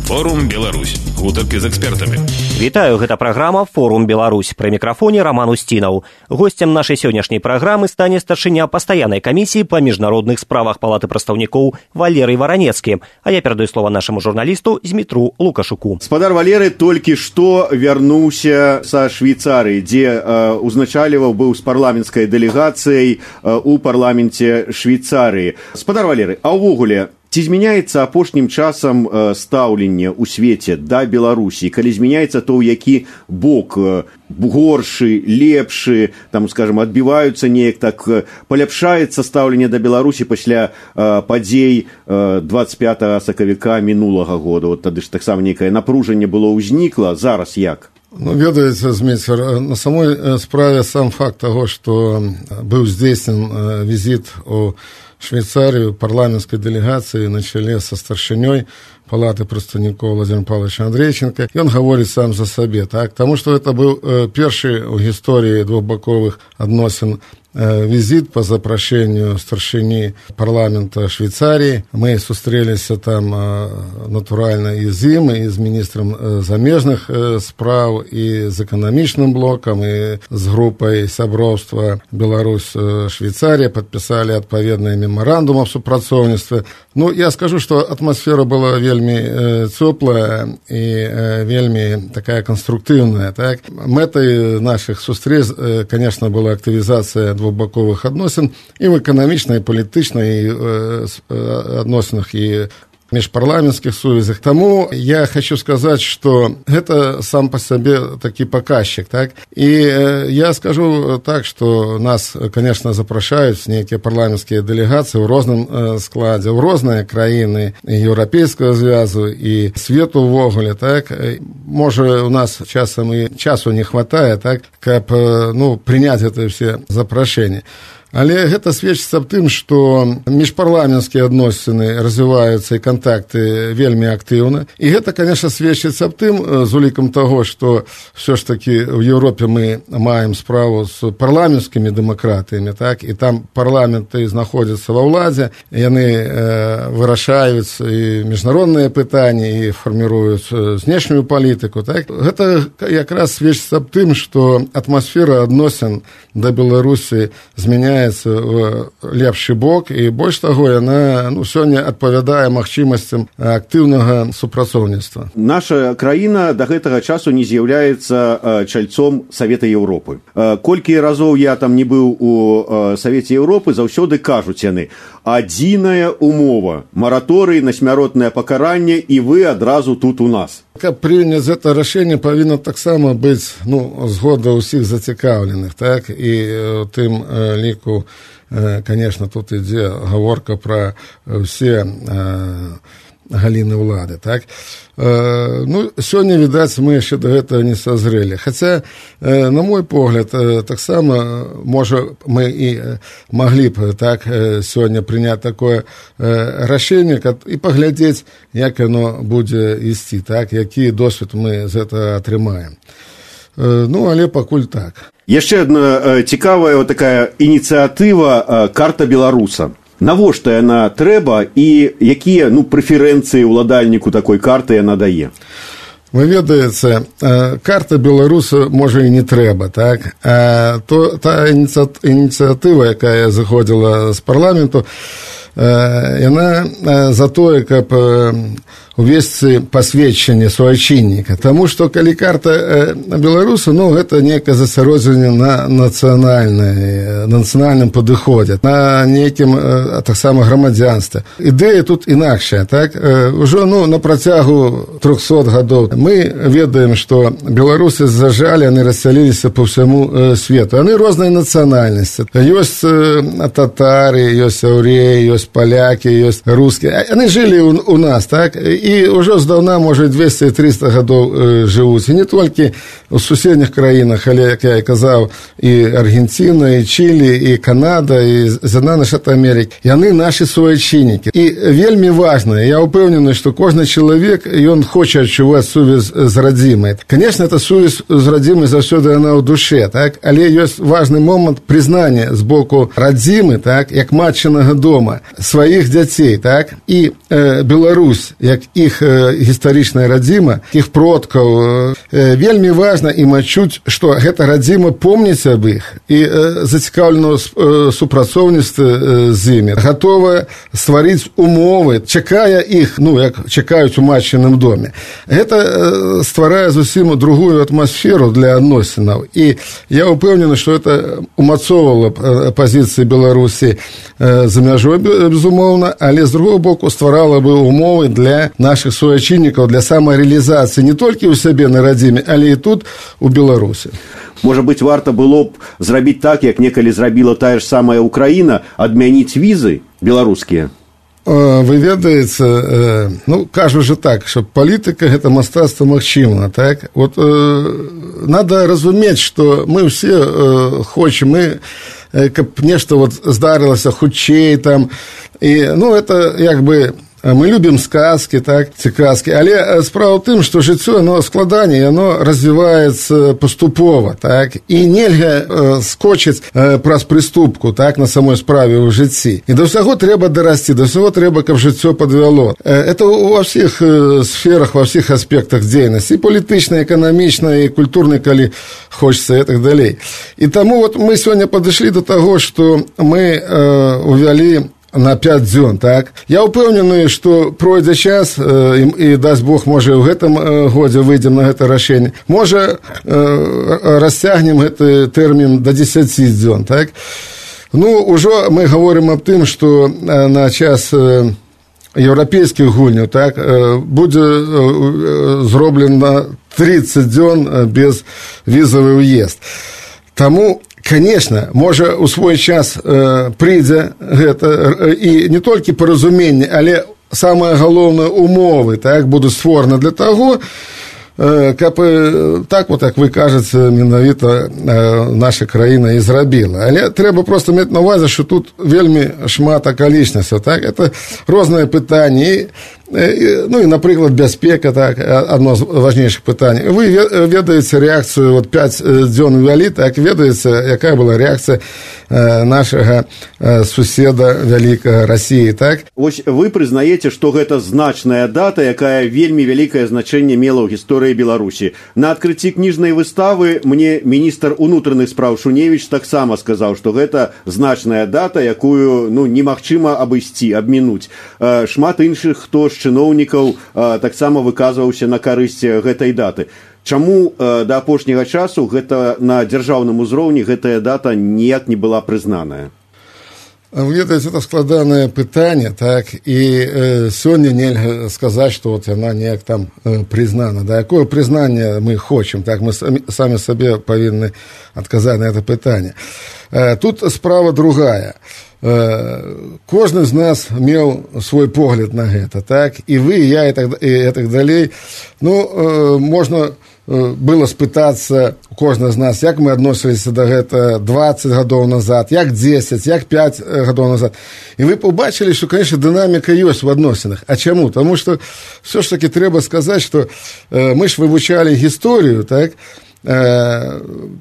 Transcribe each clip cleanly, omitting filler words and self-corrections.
Форум Беларусь. Гутаркі з экспертамі. Вітаю, гэта праграма «Форум Беларусь». Пры мікрафоне Роман Устінаў. Госцем нашай сённяшняй праграмы стане старшыня пастаяннай камісіі па міжнародных справах Палаты прадстаўнікоў Валерый Варанецкі. А я перадаю слова нашаму журналісту Змітру Лукашуку. Спадар Валерый толькі што вярнуўся са Швейцарыі, дзе узначальваў быў з парламенцкай дэлегацыяй у парламенце Швейцарыі. Спадар Валерый, а ўвогуле, ці змяняецца апошнім часам стаўленне ў свеце да Беларусі? Калі змяняецца, то ў які бок? Горшы, лепшы, там, скажем, адбіваюцца неяк так, паляпшаецца стаўленне да Беларусі пасля падзей 25 сакавіка мінулага года? Вот тады ж таксама нейкае напружанне было ўзнікла. Зараз як? Ну, ведаеце, Зміцер, на самой справе сам факт таго, што быў здзейснен візіт у Швейцарию парламентской делегации на челе со старшиней Палаты прадстаўнікоў Владимиром Павловичем Андрейченко. И он говорит сам за себе, так? Потому что это был первый в истории двухбоковых адносін визит по запрошению старшини парламента Швейцарии. Мы сустрелись там натурально и з ім, и з министром замежных справ, и з экономичным блоком, и с группой сяброўства Беларусь-Швейцария, подписали отповедные меморандумы о супрацоўніцтве. Ну, я скажу, что атмосфера была вельми теплая и вельми такая конструктивная, так? Мэтай наших сустреч, конечно, была активизация двухбоковых адносін і в эканамічнай, палітычнай адносінах і межпарламенцких сувязях. Тому я хочу сказать, что это сам по себе таки показчик, так? И я скажу так, что нас, конечно, запрашаюць некие парламентские делегации в розным складе, в розныя краіны Европейского звязу и свету увогуле, так? Может, у нас часам и часу не хватает, так? Каб, принять это все запрашэнні. Але гэта сведчыцца аб тым, што міжпарламенцкія адносіны развіваюцца і кантакты вельмі актыўна. І гэта, конечно, сведчыцца аб тым, з улікам таго, што ўсё ж такі ў Еўропе мы маем справу з парламенцкімі дэмакратыямі, так? І там парламенты знаходзяцца ва ўладзе, яны вырашаюць і міжнародныя пытанні, і фарміруюць знешнюю палітыку, так? Гэта якраз сведчыцца аб тым, што атмасфера адносін да Беларусі змяняецца в лепшы бок, і больш таго, яна сёння адпавядае магчымасцям актыўнага супрацоўніцтва. Наша краіна да гэтага часу не з'яўляецца чальцом Савета Еўропы. Колькі разоў я там не быў у Савеце Еўропы, заўсёды кажуць яны: адзіная умова, мараторый на смяротнае пакаранне, і вы адразу тут у нас. Каб прыняць гэта рашэнне, павінна таксама быць згода ўсіх зацікаўленых, так? І ў тым ліку, конечно, тут ідзе гаворка пра ўсе галіны ўлады, так? Сёння, відаць, мы яшчэ да гэтага не сазрэлі. Хаця, на мой погляд, таксама, можа, мы і маглі б, так, сёння прыняць такое рашэнне і паглядзець, як яно будзе ісці, так, які досвед мы з гэтага атрымаем. Але пакуль так. Яшчэ адна цікавая такая ініцыятыва «Карта беларуса». Навошта яна трэба і якія прэферэнцыі ўладальніку такой карты яна дае? Вы ведаеце, карта беларуса можа і не трэба, так? Та ініцыятыва, якая заходзіла з парламенту, яна за тое, каб увесці пасведчанне суайчынніка. Таму што калі карта беларуса, гэта некае засяроджанне на нацыянальным падыходзе, на нейкім таксама грамадзянстве. Ідэя тут інакшая, так? Ужо на працягу 300 гадоў мы ведаем, што беларусы зажалі, яны рассяліліся па ўсяму свету. Яны рознай нацыянальнасці. Ёсць татары, ёсць яўрэі, ёсць палякі, ёсць рускія. Яны жылі у нас, так? І ўжо здаўна, можа, 200-300 гадоў жывуць. І не толькі ў суседніх краінах, але, як я і казаў, і Аргенціна, і Чылі, і Канада, і З'яднаныя Штаты Амерыкі. Яны нашы суайчыннікі. І вельмі важна, я ўпэўнены, што кожны чалавек, ён хоча адчуваць сувязь з радзімай. Конечно, эта сувязь з радзімай заўсёды яна ў душе, так? Але ёсць важны момант прызнання з боку радзімы, так, як матчынага дома, сваіх дзяцей, так? І Беларусь, як іх гістарычная радзіма, іх продкаў. Вельмі важна ім адчуць, што гэта радзіма помніць аб іх і зацікаўлена ў супрацоўніцтве з імі, гатовая стварыць умовы, чакае іх, як чакаюць у матчыным доме. Гэта стварае зусім другую атмасферу для адносінаў. І я ўпэўнены, што гэта умацоўвала пазіцыі Беларусі за мяжой, безумоўна, але з другого боку стварала бы умовы для наших суайчыннікаў, для самарэалізацыі не толькі ў сябе на радзіме, але і тут, у Беларусі. Можа быць, варта было б зрабіць так, як некалі зрабіла тая ж самая Украіна, адмяніць візы беларускія? Вы ведаеце, кажу же так, што палітыка – гэта мастацтва магчымага, так? Надо разумець, што мы ўсе хочам, каб нешта здарылася хутчэй там, і, это як бы... Мы любім сказкі, так, ці казкі, але справа ў тым, што жыццё, оно складаней, оно развіваецца паступова, так, і нельга скочыць праз прыступку, так, на самой справе ў жыцці. І да ўсяго трэба дарасці, да ўсяго трэба, каб жыццё падвяло. Это ва ўсіх сферах, ва ўсіх аспектах дзейнасці, і палітычнай, эканамічнай, і культурнай, калі хочацца, і так далей. І таму мы сёння падышлі да таго, што мы увялі на 5 дзён, так? Я ўпэўнены, што пройдзе час, і дасць Бог, можа, ў гэтым годзе выйдзем на гэта рашэнне. Можа, расцягнем гэты тэрмін да 10 дзён, так? Ужо мы гаворым аб тым, што на час еўрапейскіх гульняў, так, будзе зроблена 30 дзён без візавы ўезд. Таму, конечно, можа, у свой час прыйдзе гэта, і не толькі паразуменне, але самае галоўнае умовы, так, будуць створаны для таго, каб так, як вы кажаце, менавіта наша краіна і зрабіла. Але трэба проста мець на ўвазе, што тут вельмі шмат акалічнасцяў, так, это розныя пытанні, і, напрыклад, бяспека, так, адно з важнейшых пытанняў. Вы ведаеце рэакцыю, 5 дзён увялі, так, ведаеце, якая была рэакцыя нашага суседа вялікага Расіі, так? Вось вы прызнаеце, што гэта значная дата, якая вельмі вялікае значэнне мела ў гісторыі Беларусі. На адкрыцці кніжнай выставы мне міністр унутраных спраў Шуневіч таксама сказаў, што гэта значная дата, якую, немагчыма абысці, абмінуць. Шмат іншых, хто чыноўнікаў таксама выказваўся на карысць гэтай даты. Чаму да апошняга часу гэта на дзяржаўным узроўні гэтая дата ніяк не была прызнаная? Ведаеце, это складанае пытанне, так, і сёння нельга сказаць, што яна неяк там прызнана. Да якое прызнанне мы хочам, так, мы самі сабе павінны адказаць на гэта пытанне. Тут справа другая. Кожны з нас меў свой погляд на гэта, так, і вы, і я, і так далей. Можна было спытацца у кожнага з нас, як мы адносіліся да гэта 20 гадоў назад, як 10, як 5 гадоў назад. І вы побачылі, што, конечно, дынаміка ёсць в адносінах. А чаму? Таму што все ж таки трэба сказаць, што мы ж вывучалі гісторыю, так,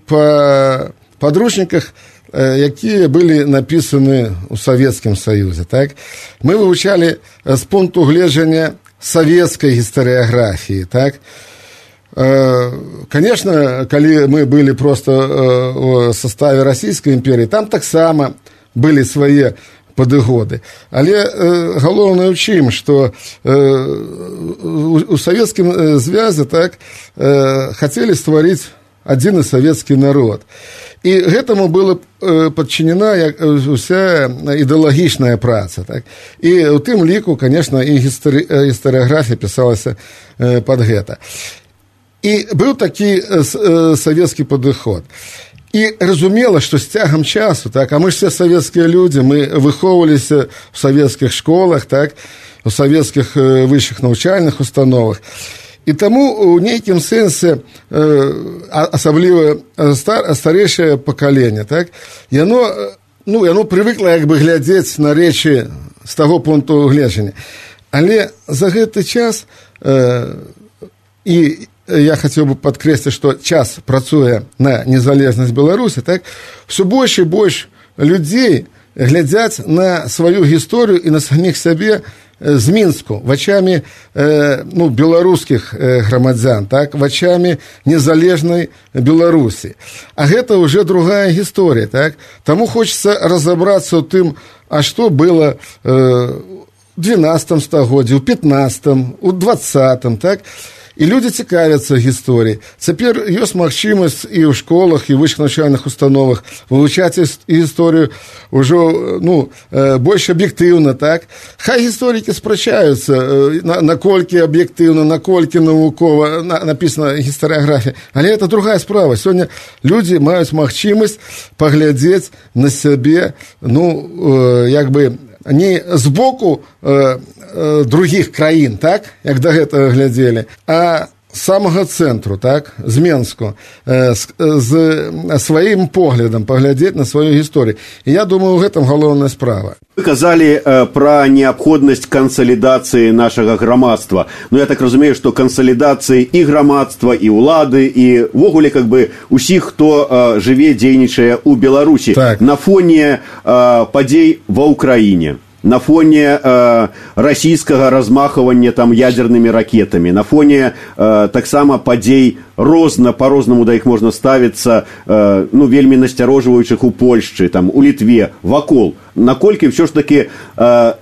па падручніках, якія былі напісаны ў Савецкім Саюзе, так? Мы вывучалі з пункту гледжання савецкай гістарыяграфіі, так? Конечно, калі мы былі проста ў составе Расійскай імперіі, там таксама былі свае падыгоды. Але галоўнае ў чым, што у Савецкім звязе, так, хацелі стварыць адзіны савецкі народ. І гэтаму была падчынена уся ідэалагічная праца. Так? І ў тым ліку, конечно, і гістарыяграфія пісалася пад гэта. І быў такі савецкі падыход. І разумела, што з цягам часу, так, а мы ж все савецкія людзі, мы выхоўваліся ў савецкіх школах, так, у савецкіх высшых навучальных установах. І таму у нейкім сэнсе, асабліва старэйшае пакаленне, так, яно прывыкла як бы глядзець на рэчы з таго пункту гледжання. Але за гэты час, і я хацеў бы падкрэсліць, што час працуе на незалежнасць Беларусі, так, ўсё больш і больш людзей глядзяць на сваю гісторыю і на саміх сябе з Мінску, вачами беларускіх грамадзян, так, вачами незалежнай Беларусі. А гэта ўжо другая гісторыя, так? Таму хочацца разабрацца ў тым, а што было у 12 стагоддзі, у 15, у 20, так? І людзі цікавяцца гісторыяй. Цяпер ёсць магчымасць і ў школах, і ў вышэйшых навчальных установах вывучаць гісторыю ўжо больш аб'ектыўна, так? Хай гісторыкі спрачаюцца, наколькі аб'ектыўна, наколькі навукова напісана гістарыяграфія. Але это другая справа. Сёння людзі маюць магчымасць паглядзець на сябе, не з боку других краін, так, як да гэтага глядзелі, а з самага цэнтру, так, з Менску, з сваім поглядам паглядзець на сваю гісторыю. І я думаю, у гэтым галоўная справа. Вы казалі пра неабходнасць кансалідацыі нашага грамадства. Я так разумею, што кансалідацыі і грамадства, і ўлады, і ўвогуле усіх, хто жыве, дзейнічае ў Беларусі, так, на фоне падзей ва ўкраіне, на фоне расійскага размахвання там ядернымі ракетамі, на фоне таксама падзей по-рознаму да іх можна ставіцца, вельмі насцярожваючых у Польшчы, там, у Літве, вакол. Наколькі ўсё ж такі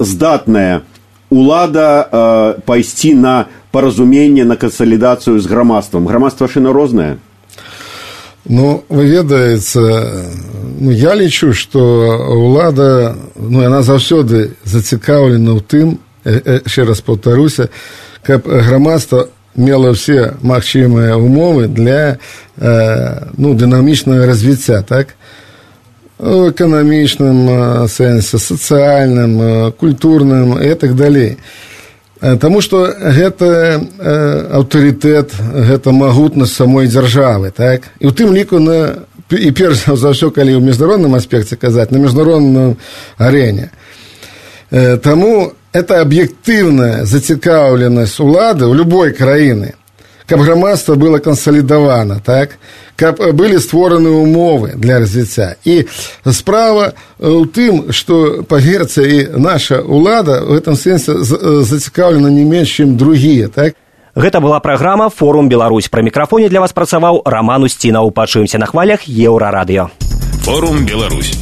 здатная улада пайсці на паразуменне, на кансалідацыю з грамадствам? Грамадства шына рознае? Вы ведаеце, я лічу, што ўлада, яна заўсёды зацікаўлена ў тым, яшчэ раз паўтаруся, каб грамадства мела ўсе магчымыя умовы для дынамічнага развіцця, так? У эканамічным сэнсе, сацыяльным, культурным і так далей. Таму што гэта аўтарытэт, гэта магутнасць самой дзяржавы, так? І ў тым ліку і перш за ўсё, калі ў міжнародным аспекце казаць, на міжнародной арэне. Таму это аб'ектыўная зацікаўленасць улады ў любой краіны, каб грамадства было кансалідавана, так? Каб былі створаны умовы для развіцця. І справа ў тым, што, паверце, і наша ўлада ў гэтым сэнсе зацікаўлена не менш, чым другія, так? Гэта была праграма «Форум Беларусь». Пры мікрафоне для вас працаваў Раман Усцінаў. Пачуемся на хвалях Еўрарадыё. Форум Беларусь.